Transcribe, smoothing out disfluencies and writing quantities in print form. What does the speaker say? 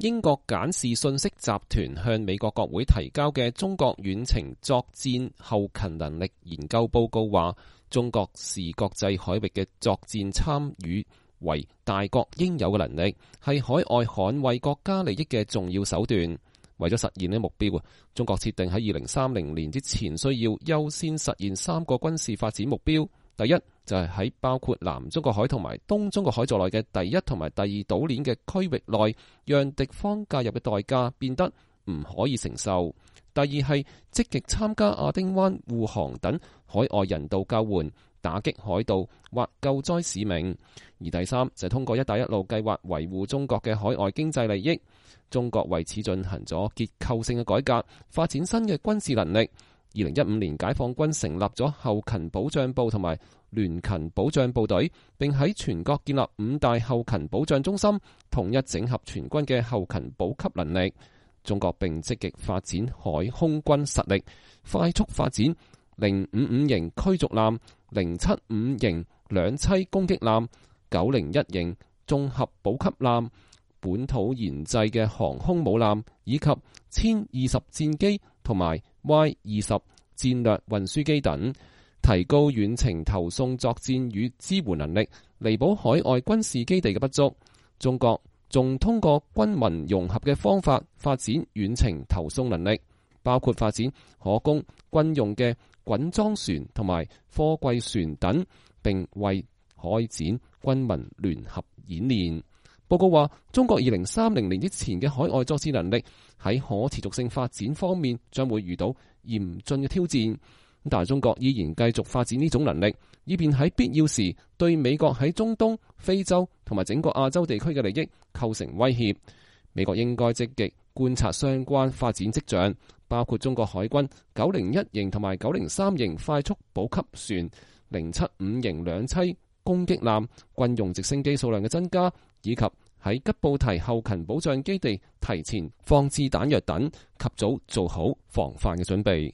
英國簡視信息集團向美國國會提交嘅中國遠程作戰後勤能力研究報告話，中國視國際海域嘅作戰參與為大國應有嘅能力，係海外捍衛國家利益嘅重要手段。為咗實現呢目標，中國設定喺2030年之前需要優先實現3個軍事發展目標。第一就係喺包括南中國海同埋東中國海在內嘅第一同埋第二島鏈嘅區域內，讓敵方介入嘅代價變得唔可以承受。第二係積極參加亞丁灣護航等海外人道救援、打擊海盜或救災使命。而第三就係通過一帶一路計劃維護中國嘅海外經濟利益。中國為此進行咗結構性嘅改革，發展新嘅軍事能力。2015年，解放軍成立咗後勤保障部同埋聯勤保障部隊，並喺全國建立5大後勤保障中心，統一整合全軍嘅後勤補給能力。中國並積極發展海空軍實力，快速發展055型驅逐艦、075型兩棲攻擊艦、901型綜合補給艦、本土研製嘅航空母艦，以及殲20戰機同埋Y-20戰略運輸機等，提高遠程投送作戰與支援能力，彌補海外軍事基地嘅不足。中國仲通過軍民融合嘅方法發展遠程投送能力，包括發展可供軍用嘅滾裝船同埋貨櫃船等，並為開展軍民聯合演練。報告話，中國2030年之前嘅海外作戰能力喺可持續性發展方面將會遇到嚴峻嘅挑戰，但係中國依然繼續發展呢種能力，以便喺必要時對美國喺中東、非洲同埋整個亞洲地區嘅利益構成威脅。美國應該積極觀察相關發展跡象，包括中國海軍901型同埋903型快速補給船、075型兩棲攻擊艦、軍用直升機數量嘅增加，以及喺吉布提後勤保障基地提前放置彈藥等，及早做好防範嘅準備。